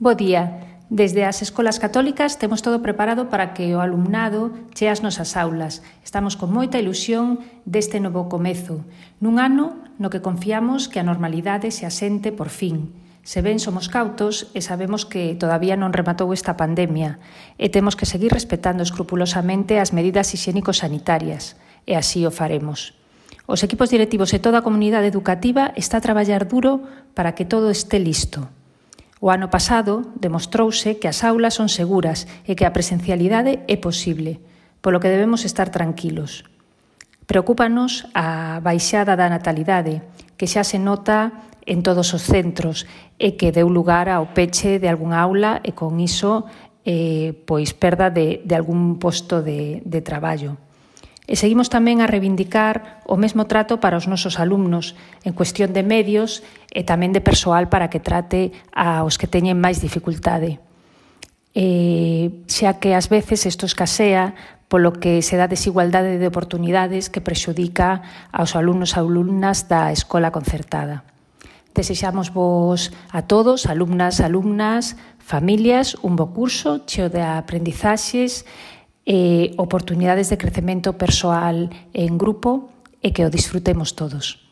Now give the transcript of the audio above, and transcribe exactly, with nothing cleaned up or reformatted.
Bo día. Desde as escolas católicas temos todo preparado para que o alumnado chee ás nosas aulas. Estamos con moita ilusión deste novo comezo, nun ano no que confiamos que a normalidade se asente por fin. Se ben somos cautos e sabemos que todavía non rematou esta pandemia e temos que seguir respetando escrupulosamente as medidas hixiénico-sanitarias, e así o faremos. Os equipos directivos e toda a comunidade educativa está a traballar duro para que todo este listo. O ano pasado demostrouse que as aulas son seguras e que a presencialidade é posible, polo que debemos estar tranquilos. Preocúpanos a baixada da natalidade, que xa se nota en todos os centros e que deu lugar ao peche de algunha aula e con iso eh, pois perda de, de algún posto de, de traballo. E seguimos tamén a reivindicar o mesmo trato para os nosos alumnos en cuestión de medios e tamén de persoal para que trate aos que teñen máis dificultade. E, xa que ás veces isto escasea polo que se dá desigualdade de oportunidades que prexudica aos alumnos e alumnas da escola concertada. Desexamos vos a todos, alumnas, alumnas, familias, un bo curso cheo de aprendizaxes e oportunidades de crecemento persoal en grupo e que o disfrutemos todos.